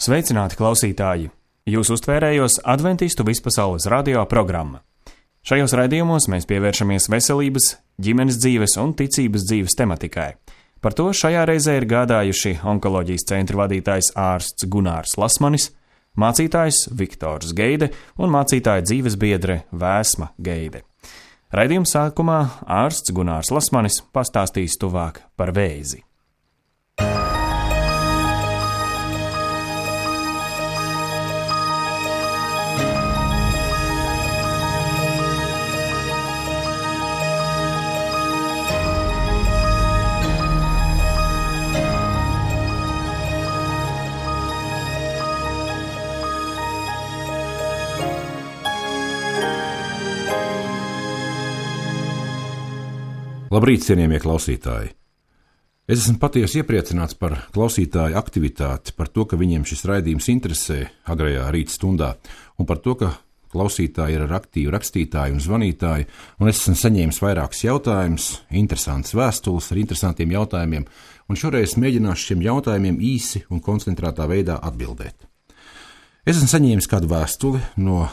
Sveicināti klausītāji! Jūs uztvērējos Adventistu vispasaules radio programma. Šajos raidījumos mēs pievēršamies veselības, ģimenes dzīves un ticības dzīves tematikai. Par to šajā reizē ir gādājuši onkoloģijas centra vadītājs ārsts Gunārs Lasmanis, mācītājs Viktors Geide un mācītāja dzīves biedre Vēsma Geide. Raidījuma sākumā ārsts Gunārs Lasmanis pastāstīs tuvāk par vēzi. Labrīt, cienījamie klausītāji! Es esmu patiesi iepriecināts par klausītāju aktivitāti, par to, ka viņiem šis raidījums interesē agrajā rīta stundā, un par to, ka klausītāji ir aktīvi rakstītāji un zvanītāji, un es esmu saņēmis vairākus jautājumus, interesantas vēstules ar interesantiem jautājumiem, un šoreiz mēģināšu šiem jautājumiem īsi un koncentrētā veidā atbildēt. Es esmu saņēmis kādu vēstuli no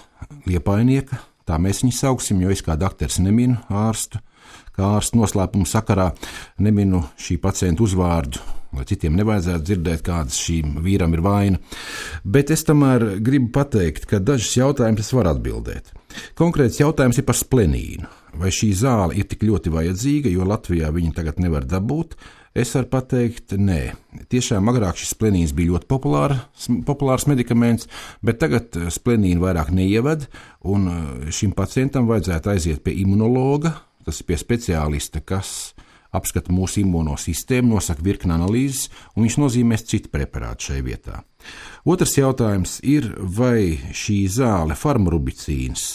Liepainieka, tā mēs viņu sauksim, jo es kā dakteris neminu ārstu, kā ārsta noslēpuma sakarā neminu šī pacienta uzvārdu, lai citiem nevajadzētu dzirdēt, kādas šīm vīram ir vaina. Bet es tomēr gribu pateikt, ka dažus jautājumus es varu atbildēt. Konkrēts jautājums ir par splenīnu. Vai šī zāle ir tik ļoti vajadzīga, jo Latvijā viņu tagad nevar dabūt? Es varu pateikt, nē. Tiešām agrāk šis splenīns bija ļoti populārs medikaments, bet tagad splenīnu vairāk neieved, un šim pacientam vajadzētu aiziet pie imunologa. Tas ir pie speciālista, kas apskata mūsu imūno sistēmu, nosaka virkni analīzes, un viņš nozīmēs citu preparātu šai vietā. Otrs jautājums ir, vai šī zāle farmarubicīns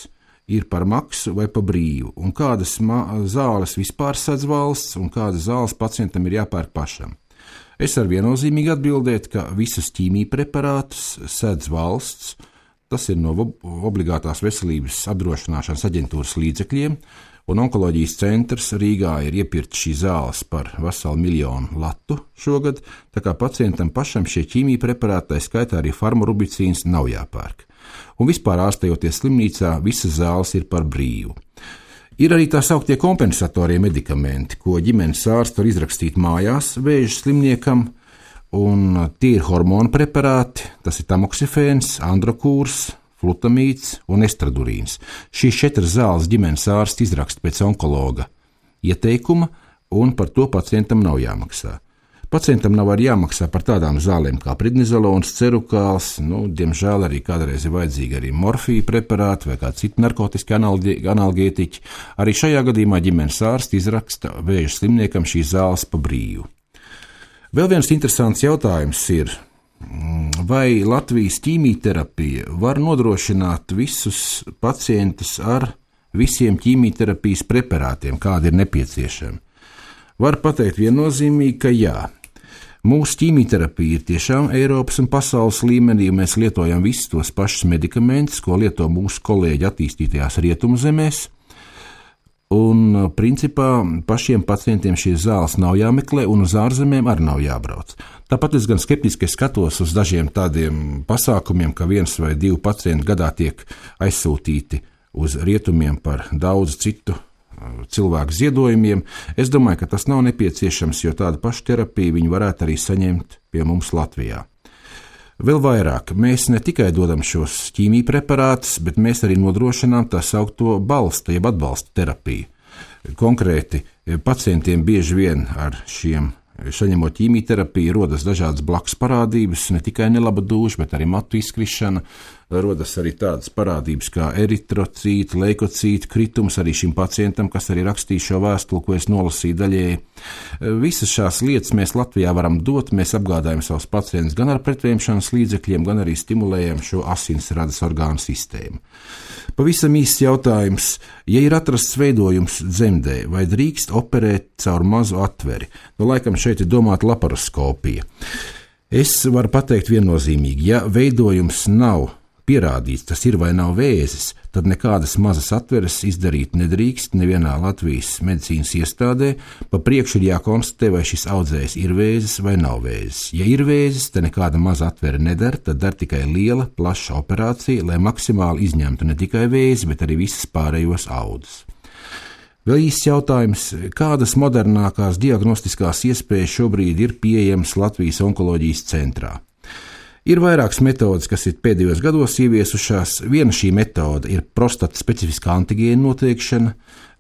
ir par maksu vai par brīvu, un kādas zāles vispār sedz valsts, un kādas zāles pacientam ir jāpērk pašam. Es varu viennozīmīgi atbildēt, ka visus ķīmiju preparātus sedz valsts, tas ir no obligātās veselības apdrošināšanas aģentūras līdzekļiem, un onkoloģijas centrs Rīgā ir iepirkts šīs zāles par veselu 1 miljonu latu šogad, tā kā pacientam pašam šie ķīmiju preparāti, tā skaitā arī farmarubicīns, nav jāpērk. Un vispār ārstējoties slimnīcā, visas zāles ir par brīvu. Ir arī tā sauktie kompensatorie medikamenti, ko ģimenes ārsts var izrakstīt mājās vēža slimniekam, un tie ir hormonu preparāti, tas ir tamoksifēns, androkūrs, flutamīds un estradurīns. Šīs 4 zāles ģimenes ārsts izraksta pēc onkologa ieteikuma, un par to pacientam nav jāmaksā. Pacientam nav arī jāmaksā par tādām zālēm kā prednizolons, cerukāls, diemžēl arī kādreiz ir vajadzīgi arī morfija preparāti vai kādi citi narkotiski analgētiķi. Arī šajā gadījumā ģimenes ārsts izraksta vēža slimniekam šīs zāles pa brīvu. Vēl viens interesants jautājums ir, vai Latvijas ķīmijterapija var nodrošināt visus pacientus ar visiem ķīmijterapijas preparātiem, kādi ir nepieciešami? Var pateikt viennozīmīgi, ka jā. Mūsu ķīmijterapija ir tiešām Eiropas un pasaules līmenī, un mēs lietojam visus tos pašus medikamentus, ko lieto mūsu kolēģi attīstītajās rietumzemēs. Un principā pašiem pacientiem šīs zāles nav jāmeklē, un uz ārzemēm arī nav jābrauc. Tāpat es gan skeptiski skatos uz dažiem tādiem pasākumiem, ka 1 vai 2 pacienti gadā tiek aizsūtīti uz rietumiem par daudz citu cilvēku ziedojumiem. Es domāju, ka tas nav nepieciešams, jo tādu pašu terapiju viņi varētu arī saņemt pie mums Latvijā. Vēl vairāk, mēs ne tikai dodam šos ķīmiju preparātus, bet mēs arī nodrošinām tā saukto balsta, jeb atbalsta terapiju. Konkrēti, pacientiem bieži vien ar saņemot ķīmijterapiju rodas dažādas blakus parādības, ne tikai nelaba dūša, bet arī matu izkrišana, rodas arī tādas parādības kā eritrocīti, leikocīti kritums arī šim pacientam, kas arī rakstīja šo vēstuli, ko es nolasīju daļēji. Visas šās lietas mēs Latvijā varam dot, mēs apgādājam savus pacientus gan ar pretvēmšanas līdzekļiem, gan arī stimulējam šo asinsradas orgānu sistēmu. Pavisam īsts jautājums, ja ir atrasts veidojums dzemdē, vai drīkst operēt caur mazu atveri? Laikam šeit ir domāta laparoskopija. Es varu pateikt viennozīmīgi, ja veidojums nav pierādīts, tas ir vai nav vēzis, tad nekādas mazas atveres izdarīt nedrīkst nevienā Latvijas medicīnas iestādē. Pa priekšu ir jākonstatē, vai šis audzējs ir vēzis vai nav vēzis. Ja ir vēzis, tad nekāda maza atvere nedara, tad dar tikai liela, plaša operācija, lai maksimāli izņemtu ne tikai vēzi, bet arī visas pārējos audus. Vēl īsts jautājums, kādas modernākās diagnostiskās iespējas šobrīd ir pieejamas Latvijas onkoloģijas centrā? Ir vairākas metodes, kas ir pēdējos gados ieviesušās. Viena šī metode ir prostata specifiskā antigēna noteikšana,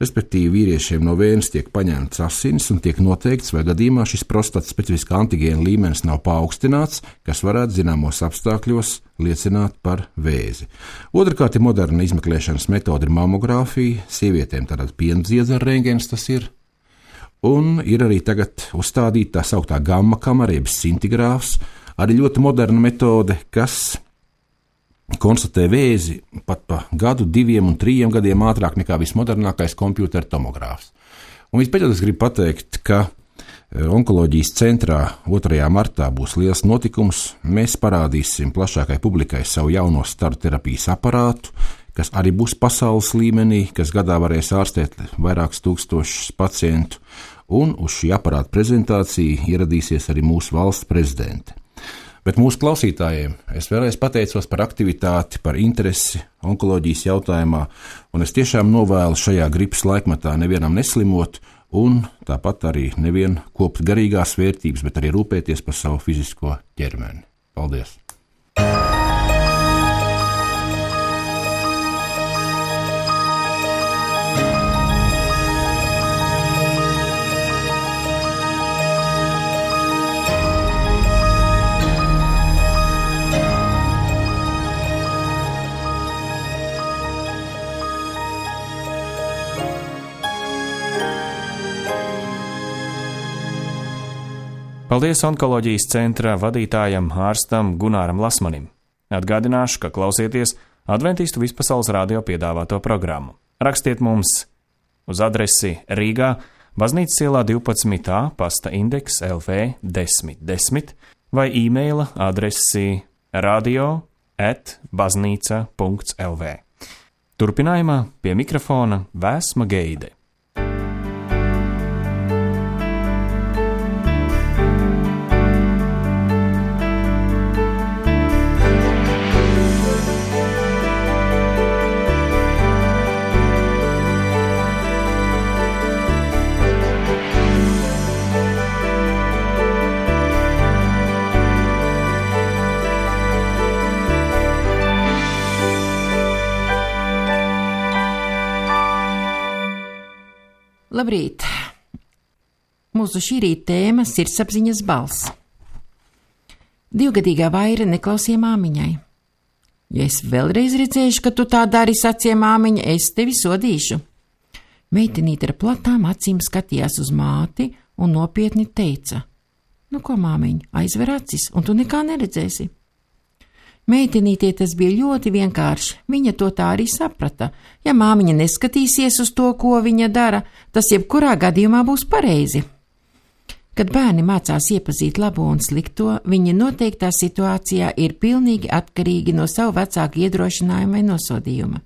respektīvi vīriešiem no vēnes tiek paņemts asins un tiek noteikts, vai gadījumā šis prostata specifiskā antigēna līmenis nav paaugstināts, kas varētu zināmos apstākļos liecināt par vēzi. Otrakārt ir moderna izmeklēšanas metode ir mamogrāfija, sievietēm tātad piendziedzera rentgens tas ir. Un ir arī tagad uzstādīta tā sauktā gamma kamera, jeb scintigrāfs, arī ļoti moderna metode, kas konstatē vēzi pat pa gadu, 2 un 3 gadiem ātrāk nekā vismodernākais kompjūtera tomogrāfs. Un vispēcot es gribu pateikt, ka onkoloģijas centrā 2. martā būs liels notikums. Mēs parādīsim plašākai publikai savu jauno staru terapijas aparātu, kas arī būs pasaules līmenī, kas gadā varēs ārstēt vairākus tūkstošus pacientu, un uz šī aparāta prezentāciju ieradīsies arī mūsu valsts prezidente. Bet mūsu klausītājiem es vēlreiz pateicos par aktivitāti, par interesi onkoloģijas jautājumā, un es tiešām novēlu šajā gripas laikmetā nevienam neslimot, un tāpat arī nevienu kopt garīgās vērtības, bet arī rūpēties par savu fizisko ķermeni. Paldies! Paldies onkoloģijas centra vadītājam ārstam Gunāram Lasmanim. Atgādināšu, ka klausieties Adventistu Vispasaules radio piedāvāto programmu. Rakstiet mums uz adresi Rīgā, Baznīcas ielā 12a, pasta indeks LV 1010 vai e-maila adresi radio@baznīca.lv. Turpinājumā pie mikrofona Vēsma Geide. Labrīt! Mūsu šī rīta tēma - sirdsapziņas balss. 2-gadīgā Vaira neklausīja māmiņai. Ja es vēlreiz redzēšu, ka tu tā dari, sacīja māmiņa, es tevi sodīšu. Meitenīte ar platām acīm skatījās uz māti un nopietni teica: Nu ko, māmiņa, aizver acis, un tu nekā neredzēsi. Meitenītē tas bija ļoti vienkārši, viņa to tā arī saprata. Ja māmiņa neskatīsies uz to, ko viņa dara, tas jebkurā gadījumā būs pareizi. Kad bērni mācās iepazīt labo un slikto, viņi noteiktā situācijā ir pilnīgi atkarīgi no savu vecāku iedrošinājuma vai nosodījuma.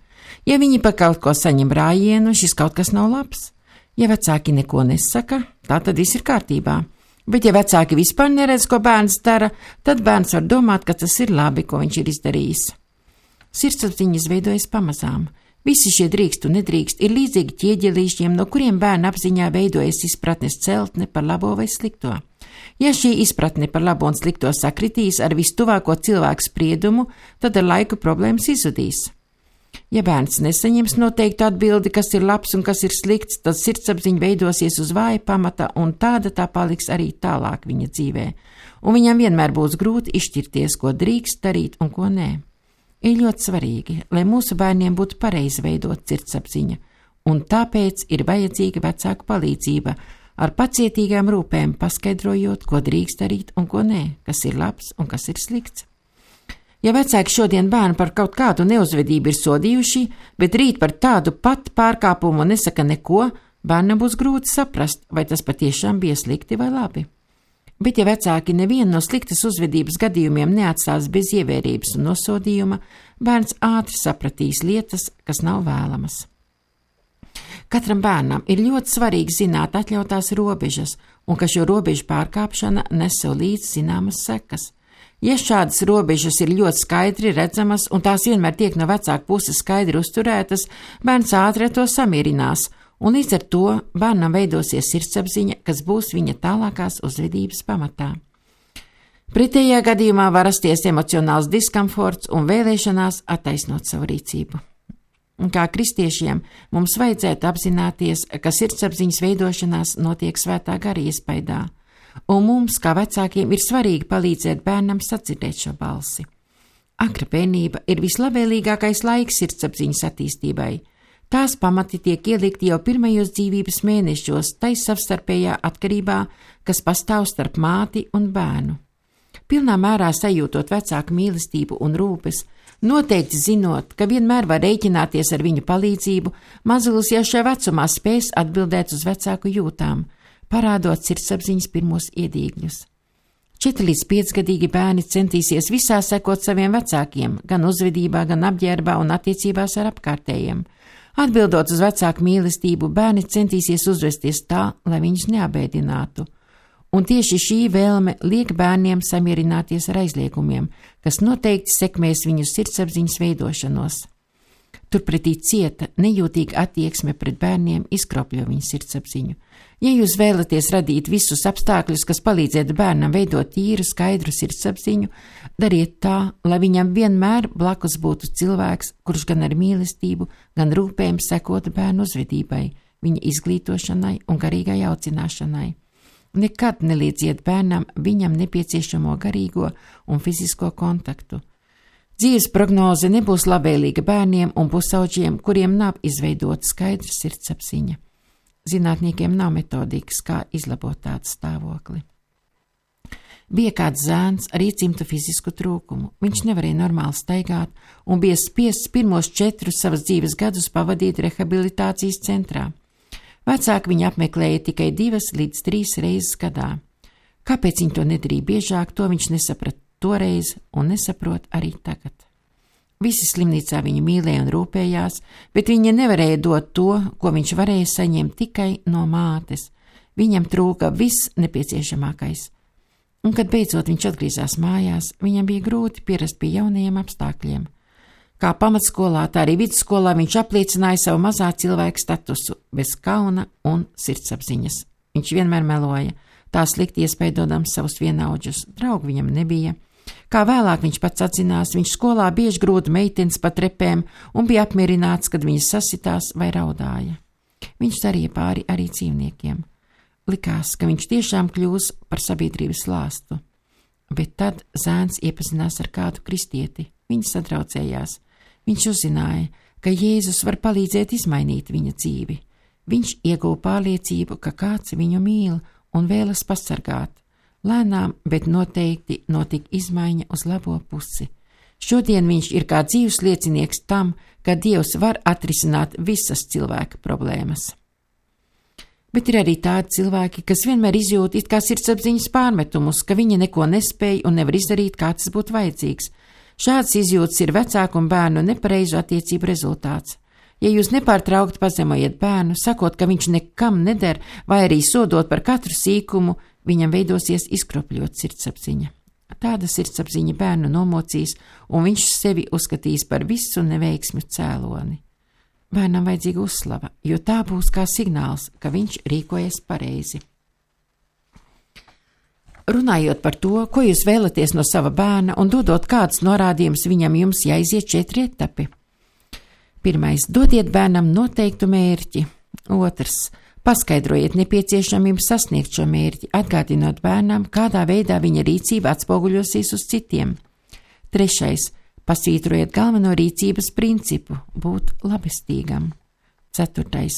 Ja viņi par kaut ko saņem rājienu, šis kaut kas nav labs. Ja vecāki neko nesaka, tā tad viss ir kārtībā. Bet ja vecāki vispār neredz, ko bērns dara, tad bērns var domāt, ka tas ir labi, ko viņš ir izdarījis. Sirdsapziņa izveidojas pamazām. Visi šie drīkst un nedrīkst ir līdzīgi ķieģelīšiem, no kuriem bērna apziņā veidojas izpratnes celtne par labo vai slikto. Ja šī izpratne par labo un slikto sakritīs ar vistuvāko cilvēku spriedumu, tad ar laiku problēmas izzudīs. Ja bērns nesaņems noteiktu atbildi, kas ir labs un kas ir slikts, tad sirdsapziņa veidosies uz vāja pamata, un tāda tā paliks arī tālāk viņa dzīvē. Un viņam vienmēr būs grūti izšķirties, ko drīkst darīt un ko nē. Ir ļoti svarīgi, lai mūsu bērniem būtu pareizi veidot sirdsapziņa, un tāpēc ir vajadzīga vecāku palīdzība, ar pacietīgām rūpēm paskaidrojot, ko drīkst darīt un ko nē, kas ir labs un kas ir slikts. Ja vecāki šodien bērnu par kaut kādu neuzvedību ir sodījuši, bet rīt par tādu pat pārkāpumu nesaka neko, bērnam būs grūti saprast, vai tas patiešām bija slikti vai labi. Bet, ja vecāki nevienu no sliktas uzvedības gadījumiem neatstās bez ievērības un nosodījuma, bērns ātri sapratīs lietas, kas nav vēlamas. Katram bērnam ir ļoti svarīgi zināt atļautās robežas, un ka šo robežu pārkāpšana nes sev līdz zināmas sekas. Ja šādas robežas ir ļoti skaidri redzamas, un tās vienmēr tiek no vecāka puses skaidri uzturētas, bērns ātri ar to samierinās, un līdz ar to bērnam veidosies sirdsapziņa, kas būs viņa tālākās uzvedības pamatā. Pretējā gadījumā var rasties emocionāls diskomforts un vēlēšanās attaisnot savu rīcību. Kā kristiešiem mums vajadzētu apzināties, ka sirdsapziņas veidošanās notiek svētā gara iespaidā, un mums, kā vecākiem, ir svarīgi palīdzēt bērnam sadzirdēt šo balsi. Agra bērnība ir vislabvēlīgākais laiks sirdsapziņas attīstībai. Tās pamati tiek ielikti jau pirmajos dzīvības mēnešos, tai savstarpējā atkarībā, kas pastāv starp māti un bērnu. Pilnā mērā sajūtot vecāku mīlestību un rūpes, noteikti zinot, ka vienmēr var rēķināties ar viņu palīdzību, mazulis jau šajā vecumā spēs atbildēt uz vecāku jūtām, parādot sirdsapziņas pirmos iedīgļus. 4 līdz 5 gadīgi bērni centīsies visā sekot saviem vecākiem, gan uzvedībā, gan apģērbā un attiecībās ar apkārtējiem. Atbildot uz vecāku mīlestību, bērni centīsies uzvesties tā, lai viņus neabēdinātu. Un tieši šī vēlme liek bērniem samierināties ar aizliegumiem, kas noteikti sekmēs viņu sirdsapziņas veidošanos. Turpretī cieta, nejūtīga attieksme pret bērniem izkropļo viņu sirdsapziņu. Ja jūs vēlaties radīt visus apstākļus, kas palīdzētu bērnam veidot tīru, skaidru sirdsapziņu, dariet tā, lai viņam vienmēr blakus būtu cilvēks, kurš gan ar mīlestību, gan rūpēm sekotu bērnu uzvedībai, viņa izglītošanai un garīgai audzināšanai. Nekad neliedziet bērnam viņam nepieciešamo garīgo un fizisko kontaktu. Dzīves prognoze nebūs labvēlīga bērniem un pusauģiem, kuriem nav izveidota skaidra sirdsapziņa. Zinātniekiem nav metodikas, kā izlabot tādu stāvokli. Bija kāds zēns ar iecimtu fizisku trūkumu. Viņš nevarēja normāli staigāt un bija spiests pirmos 4 savas dzīves gadus pavadīt rehabilitācijas centrā. Vecāki viņu apmeklēja tikai 2 līdz 3 reizes gadā. Kāpēc viņi to nedarīja biežāk, to viņš nesaprata toreiz un nesaprot arī tagad. Visi slimnīcā viņu mīlēja un rūpējās, bet viņa nevarēja dot to, ko viņš varēja saņemt tikai no mātes. Viņam trūka viss nepieciešamākais. Un, kad beidzot viņš atgriezās mājās, viņam bija grūti pierast pie jaunajiem apstākļiem. Kā pamatskolā, tā arī vidusskolā viņš apliecināja savu mazā cilvēka statusu, bez kauna un sirdsapziņas. Viņš vienmēr meloja, tā slikti iespaidodams savus vienaudžus, draugu viņam nebija. Kā vēlāk viņš pats atzinās, viņš skolā bieži grūda meitenes pa trepēm un bija apmierināts, kad viņas sasitās vai raudāja. Viņš darīja pāri arī dzīvniekiem. Likās, ka viņš tiešām kļūs par sabiedrības lāstu. Bet tad zēns iepazinās ar kādu kristieti. Viņi sadraudzējās. Viņš uzzināja, ka Jēzus var palīdzēt izmainīt viņa dzīvi. Viņš ieguva pārliecību, ka kāds viņu mīl un vēlas pasargāt. Lēnām, bet noteikti notika izmaiņa uz labo pusi. Šodien viņš ir kā dzīves liecinieks tam, ka Dievs var atrisināt visas cilvēka problēmas. Bet ir arī tādi cilvēki, kas vienmēr izjūt it kā sirdsapziņas pārmetumus, ka viņi neko nespēj un nevar izdarīt, kā tas būtu vajadzīgs. Šāds izjūtas ir vecāku un bērnu nepareizu attiecību rezultāts. Ja jūs nepārtraukti pazemojat bērnu, sakot, ka viņš nekam neder, vai arī sodot par katru sīkumu, viņam veidosies izkropļot sirdsapziņa. Tāda sirdsapziņa bērnu nomocīs, un viņš sevi uzskatīs par visu neveiksmju cēloni. Bērnam vajadzīga uzslava, jo tā būs kā signāls, ka viņš rīkojas pareizi. Runājot par to, ko jūs vēlaties no sava bērna un dodot kādus norādījumus viņam, jums jāiziet 4 etapi. 1. Dodiet bērnam noteiktu mērķi. 2. Paskaidrojiet nepieciešamību sasniegt šo mērķi, atgādinot bērnam, kādā veidā viņa rīcība atspoguļosies uz citiem. 3. Pasvītrojiet galveno rīcības principu – būt labestīgam. 4.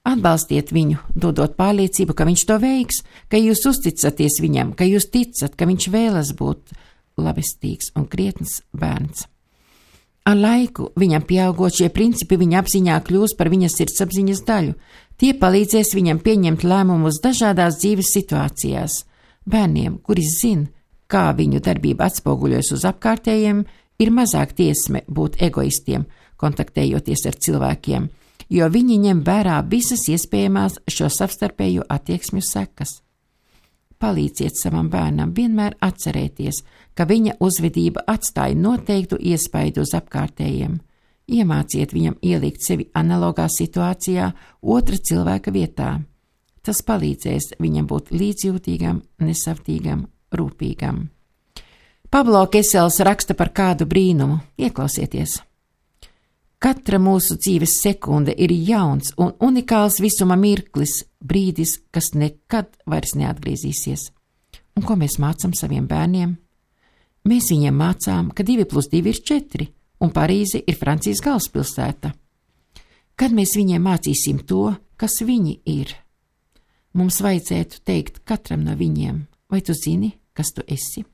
Atbalstiet viņu, dodot pārliecību, ka viņš to veiks, ka jūs uzticaties viņam, ka jūs ticat, ka viņš vēlas būt labestīgs un krietns bērns. Ar laiku, viņam pieaugot, šie principi viņa apziņā kļūs par viņa sirdsapziņas daļu. Tie palīdzēs viņam pieņemt lēmumus dažādās dzīves situācijās. Bērniem, kuri zin, kā viņu darbība atspoguļojas uz apkārtējiem, ir mazāk tiesme būt egoistiem, kontaktējoties ar cilvēkiem, jo viņi ņem vērā visas iespējamās šo savstarpējo attieksmju sekas. Palīdziet savam bērnam vienmēr atcerēties, ka viņa uzvedība atstāja noteiktu iespaidu uz apkārtējiem. Iemāciet viņam ielikt sevi analogā situācijā otra cilvēka vietā. Tas palīdzēs viņam būt līdzjūtīgam, nesavtīgam, rūpīgam. Pablo Kesels raksta par kādu brīnumu. Ieklausieties! Katra mūsu dzīves sekunde ir jauns un unikāls visuma mirklis, brīdis, kas nekad vairs neatgriezīsies. Un ko mēs mācām saviem bērniem? Mēs viņiem mācām, ka 2+2 ir 4, un Parīze ir Francijas galvaspilsēta. Kad mēs viņiem mācīsim to, kas viņi ir? Mums vajadzētu teikt katram no viņiem, vai tu zini, kas tu esi?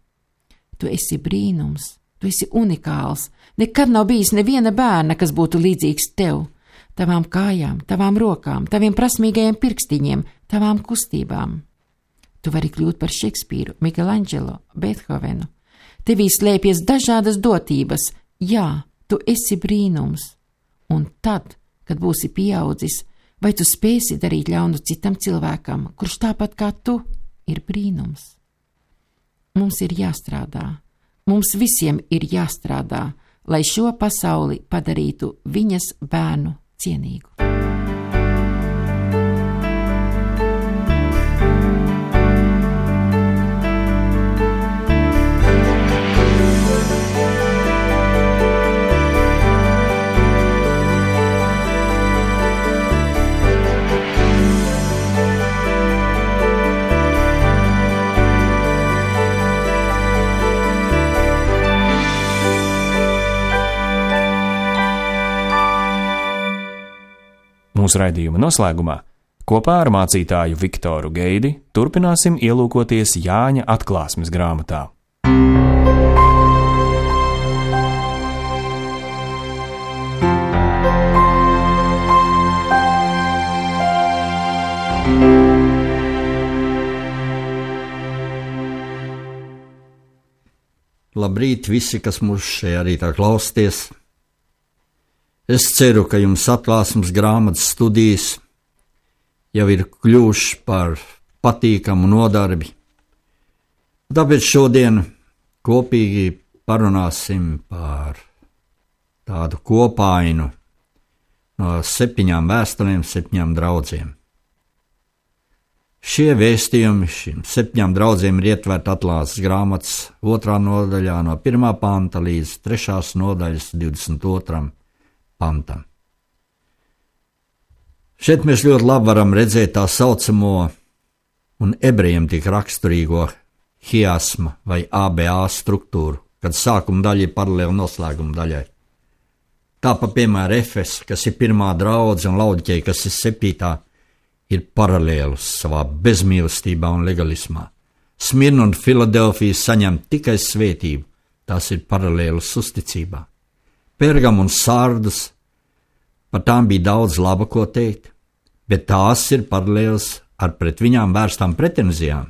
Tu esi brīnums. Tu esi unikāls. Nekad nav bijis neviena bērna, kas būtu līdzīgs tev, tavām kājām, tavām rokām, taviem prasmīgajiem pirkstiņiem, tavām kustībām. Tu vari kļūt par Šekspīru, Michelangelo, Beethovenu. Tevī slēpjas dažādas dotības. Jā, tu esi brīnums. Un tad, kad būsi pieaudzis, vai tu spēsi darīt ļaunu citam cilvēkam, kurš tāpat kā tu ir brīnums? Mums ir jāstrādā. Mums visiem ir jāstrādā, lai šo pasauli padarītu viņas bērnu cienīgu. Mūsu raidījuma noslēgumā kopā ar mācītāju Viktoru Geidi turpināsim ielūkoties Jāņa atklāsmes grāmatā. Labrīt visi, kas mūs šajā rītā klausties. Es ceru, ka jums atklāsmes grāmatas studijas jau ir kļuvušas par patīkamu nodarbi. Tāpēc šodien kopīgi parunāsim par tādu kopainu no 7 vēstulēm, 7 draudzēm. Šie vēstījumi šīm 7 draudzēm ir ietverti atklāsmes grāmatas 2. nodaļā no 1. panta līdz 3. nodaļas 22. pantam. Šeit mēs ļoti labi varam redzēt tā saucamo un ebrejiem tik raksturīgo hiasma vai ABA struktūru, kad sākuma daļa ir paralēli noslēguma daļai. Tāpat, piemēram, Efes, kas ir 1. draudze, un Laudikeja, kas ir 7. ir paralēlus savā bezmīlestībā un legalismā. Smirna un Filadelfija saņem tikai svētību, tās ir paralēlus uzticībā. Pergam un Sārdus, par tām bija daudz laba ko teikt, bet tās ir paralēlas ar pret viņām vērstām pretenzijām.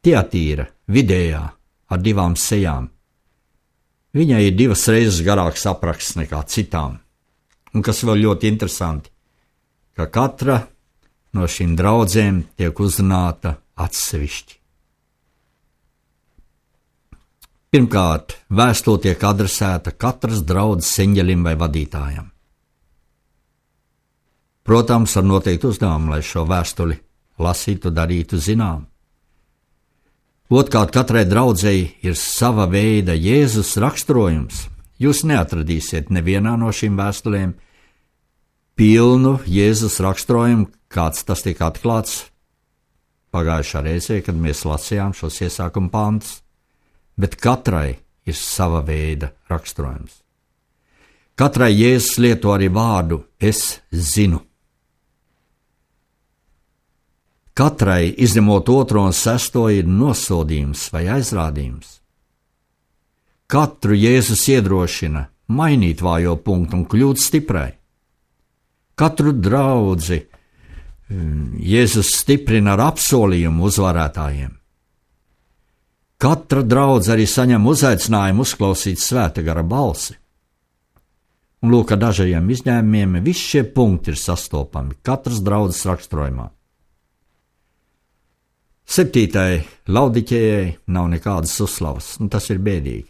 Tiatīra, vidējā, ar 2 sejām. Viņai ir 2 reizes garāks apraksts nekā citām. Un kas vēl ļoti interesanti, ka katra no šīm draudzēm tiek uzrunāta atsevišķi. Pirmkārt, vēstule tiek adresēta katras draudzes eņģelim vai vadītājam. Protams, ar noteiktu uzdevumu, lai šo vēstuli lasītu, darītu zinām. Otrkārt, katrai draudzei ir sava veida Jēzus raksturojums. Jūs neatradīsiet nevienā no šīm vēstulēm pilnu Jēzus raksturojumu, kāds tas tika atklāts pagājušā reizē, kad mēs lasījām šos iesākuma pantus. Bet katrai ir sava veida raksturojums. Katrai Jēzus lieto arī vārdu es zinu. Katrai, izņemot 2. un 6. ir nosodījums vai aizrādījums. Katru Jēzus iedrošina mainīt vājo punktu un kļūt stiprai. Katru draudzi Jēzus stiprina ar apsolījumu uzvarētājiem. Katru draugu katra draudze arī saņem uzaicinājumu uzklausīt Svētā gara balsi. Un lūk, ar dažiem izņēmumiem, visi šie punkti ir sastopami katras draudzes raksturojumā. 7. Laudikējai nav nekādas uzslavas, un tas ir bēdīgi,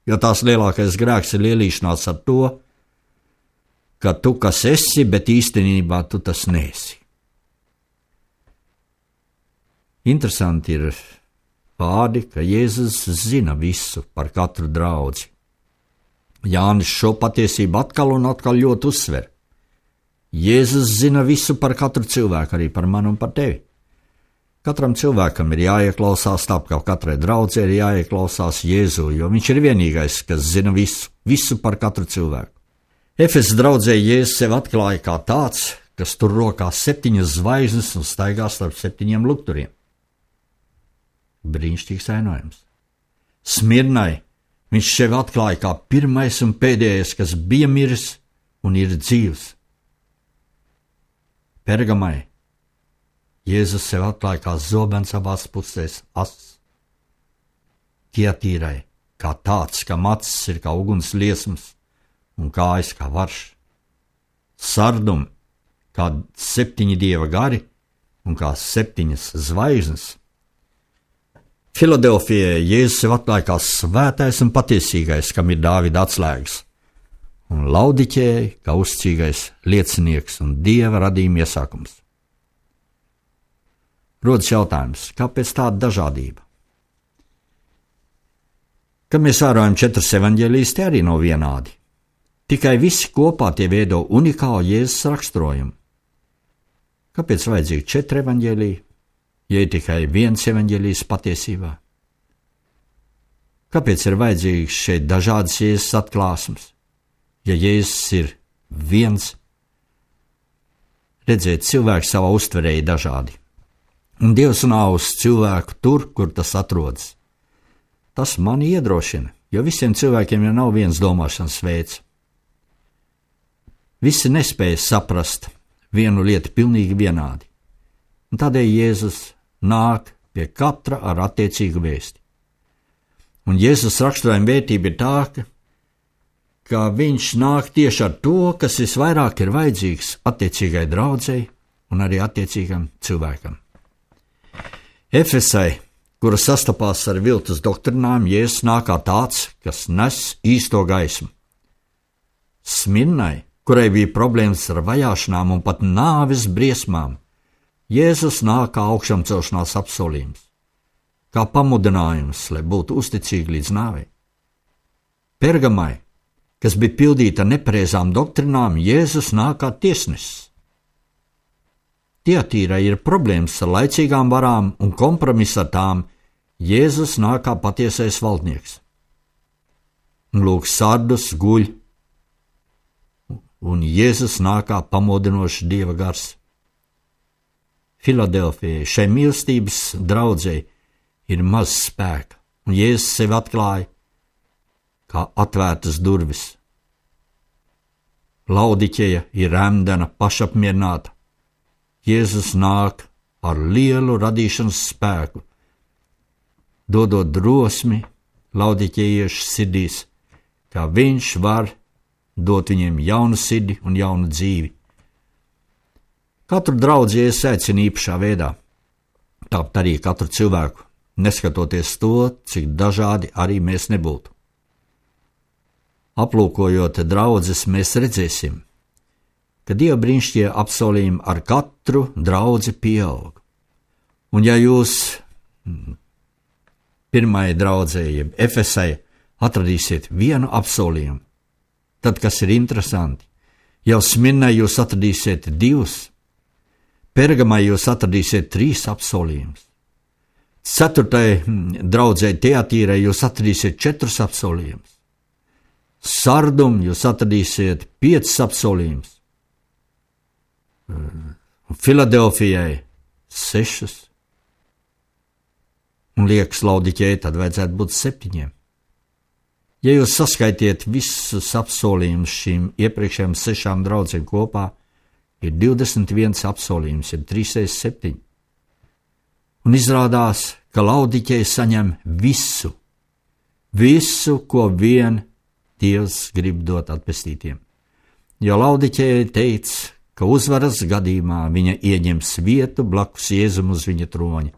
jo tās lielākais grēks ir lielīšanās ar to, ka tu kas esi, bet īstenībā tu tas neesi. Interesanti ir vārdi, ka Jēzus zina visu par katru draudzi. Jānis šo patiesību atkal un atkal ļoti uzsver. Jēzus zina visu par katru cilvēku, arī par mani un par tevi. Katram cilvēkam ir jāieklausās, tāpēc ka katrai draudzē ir jāieklausās Jēzu, jo viņš ir vienīgais, kas zina visu par katru cilvēku. Efesas draudzē Jēzus sev atklāja kā tāds, kas tur rokā 7 zvaigznes un staigā starp 7 lukturiem. Brīnišķīgs ainojums. Smirnai viņš sev atklāja kā pirmais un pēdējais, kas bija miris un ir dzīvs. Pergamai Jēzus sev atklāja kā zobens abās pusēs ass. Tiatīrai kā tāds, kam acis ir kā uguns liesmas un kājas kā varš. Sardum kā 7 dieva gari un kā 7 zvaigznes. Filadelfijai Jēzus sev atklāja kā svētais un patiesīgais, kam ir Dāvida atslēgas, un Laudikējai kā uzticīgais liecinieks un Dieva radījuma iesākums. Rodas jautājums, kāpēc tāda dažādība? Kad mēs vērojam 4 evaņģēlijas, tie arī nav vienādi. Tikai visi kopā tie veido unikālu Jēzus raksturojumu. Kāpēc vajadzīgi 4 evaņģēliji? Ja ir tikai viens evaņģēlijs patiesībā? Kāpēc ir vajadzīgs šeit dažādas Jēzus atklāsmes? Ja Jēzus ir viens, redziet, cilvēki savā uztverē ir dažādi. Un Dievs nav uz cilvēku tur, kur tas atrodas. Tas mani iedrošina, jo visiem cilvēkiem jau nav viens domāšanas veids. Visi nespēja saprast vienu lietu pilnīgi vienādi. Un tādēļ Jēzus nāk pie katra ar attiecīgu vēsti. Un Jēzus raksturojuma vērtība ir tā, ka viņš nāk tieši ar to, kas visvairāk ir vajadzīgs attiecīgai draudzei un arī attiecīgam cilvēkam. Efesai, kura sastapās ar viltus doktrinām, Jēzus nāk kā tāds, kas nes īsto gaismu. Smirnai, kurai bija problēmas ar vajāšanām un pat nāves briesmām, Jēzus nāk kā augšamcelšanās apsolījums, kā pamudinājums, lai būtu uzticīgi līdz nāvei. Pergamai, kas bija pildīta nepareizām doktrinām, Jēzus nāk kā tiesnesis. Tiatīrai ir problēmas ar laicīgām varām un kompromiss ar tām, Jēzus nāk kā patiesais valdnieks. Un lūk, Sardus guļ, un Jēzus nāk kā pamodinošs Dieva gars. Filadelfijai, šai mīlestības draudzei, ir maz spēka, un Jēzus sevi atklāja kā atvērtas durvis. Laudikēja ir remdena, pašapmierināta. Jēzus nāk ar lielu radīšanas spēku, dodot drosmi laudikējiešu sirdīs, kā viņš var dot viņiem jaunu sirdi un jaunu dzīvi. Katru draudzi Jēzus aicina īpašā veidā, tāpat arī katru cilvēku, neskatoties to, cik dažādi arī mēs nebūtu. Aplūkojot draudzes, mēs redzēsim, ka Dieva brīnišķīgie apsolījumi ar katru draudzi pieaug. Un ja jūs pirmajai draudzei, jeb Efesai, atradīsiet vienu apsolījumu, tad, kas ir interesanti, jau Smirnai jūs atradīsiet 2, Pergamai jūs atradīsiet 3 apsolījumus. 4. draudzei Tiatīrai jūs atradīsiet 4 apsolījumus. Sardum jūs atradīsiet 5 apsolījumus. Filadelfijai 6. Un liekas Laudikējai tad vajadzētu būt 7. Ja jūs saskaitiet visus apsolījumus šīm iepriekšējām 6 draudzēm kopā, ir 21 apsolījums, ir 3 x 7. Un izrādās, ka Laudikēja saņem visu, ko vien Dievs grib dot atpestītiem. Jo Laudikēja teica, ka uzvaras gadījumā viņa ieņems vietu blakus Jēzum uz viņa troņa.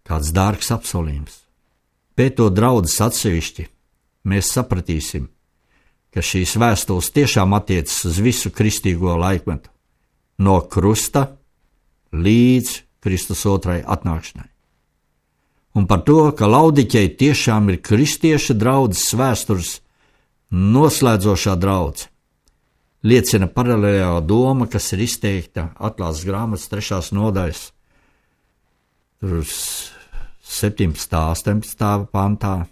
Kāds dārgs apsolījums. Pētot draudzes atsevišķi, mēs sapratīsim, ka šīs vēstules tiešām attiecas uz visu kristīgo laikmetu, no krusta līdz Kristus otrai atnākšanai. Un par to, ka Laudikēja tiešām ir kristieša draudzes vēstures noslēdzošā draudze, liecina paralēlā doma, kas ir izteikta Atklāsmes grāmatas 3. nodaļas 17. 18. pantā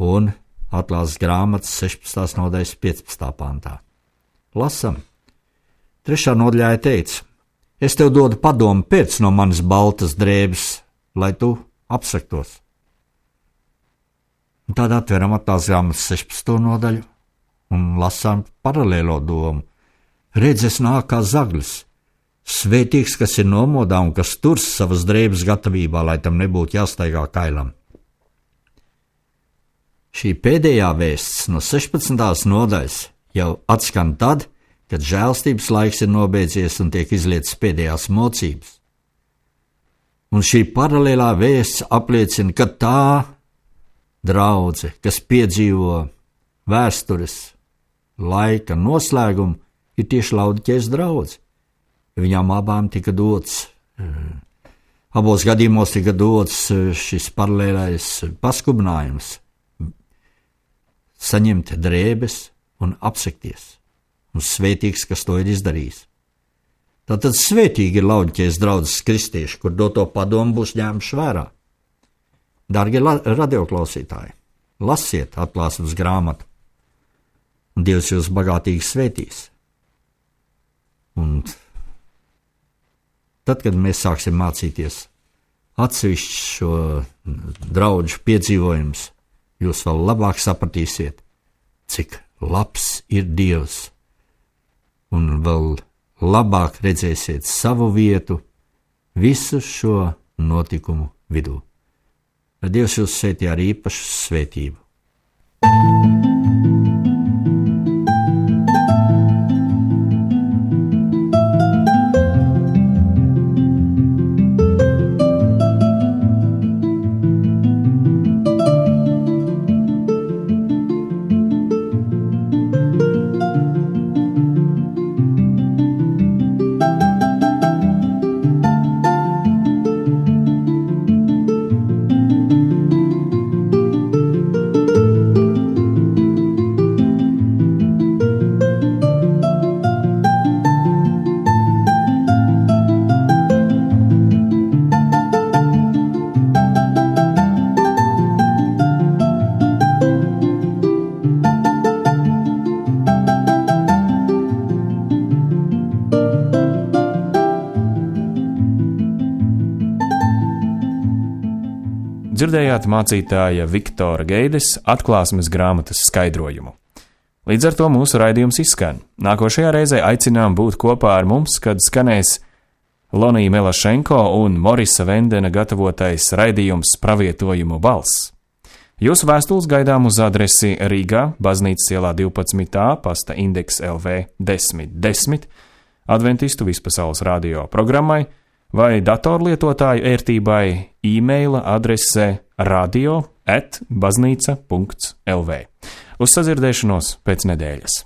un Atklāsmes grāmatas 16. nodaļas 15. pantā. Lasam. 3. nodaļā teica: Es tev dodu padomu pēc no manas baltas drēbes, lai tu apsektos. Un tad atveram Atklāsmes grāmatas 16. nodaļu un lasām paralēlo domu. Redz, es nāku kā zaglis, svētīgs, kas ir nomodā un kas turs savas drēbes gatavībā, lai tam nebūtu jāstaigā kailam. Šī pēdējā vēsts no 16. nodaļas jau atskan tad, kad žēlstības laiks ir nobeidzies un tiek izlietas pēdējās mocības. Un šī paralēlā vēsts apliecina, ka tā draudze, kas piedzīvo vēstures laika noslēgumu, ir tieši Laudikējas draudze. Viņām abām tika dots, abos gadījumos tika dots šis paralēlais paskubinājums saņemt drēbes un apsekties, un svētīgs, kas to ir izdarījis. Tātad svētīgi ir Laudikējas draudzes kristieši, kur doto padomu būs ņēmuši vērā. Dārgie radioklausītāji, lasiet Atklāsmes grāmatu, un Dievs jūs bagātīgi svētīs. Un tad, kad mēs sāksim mācīties atsevišķi šo draudžu piedzīvojumus, jūs vēl labāk sapratīsiet, cik labs ir Dievs, un vēl labāk redzēsiet savu vietu visu šo notikumu vidū. Lai Dievs jūs svētī ar īpašu svētību. Dzirdējāt mācītāja Viktora Geides Atklāsmes grāmatas skaidrojumu. Līdz ar to mūsu raidījums izskan. Nākošajā reizē aicinām būt kopā ar mums, kad skanēs Lonija Melašenko un Morisa Vendena gatavotais raidījums Pravietojumu balss. Jūsu vēstules gaidām uz adresi Rīgā, Baznīcas ielā 12a, pasta indeks LV 1010, Adventistu vispasaules radio programmai, vai datorlietotāju ērtībai e-maila adrese radio@baznīca.lv. Uz sadzirdēšanos pēc nedēļas.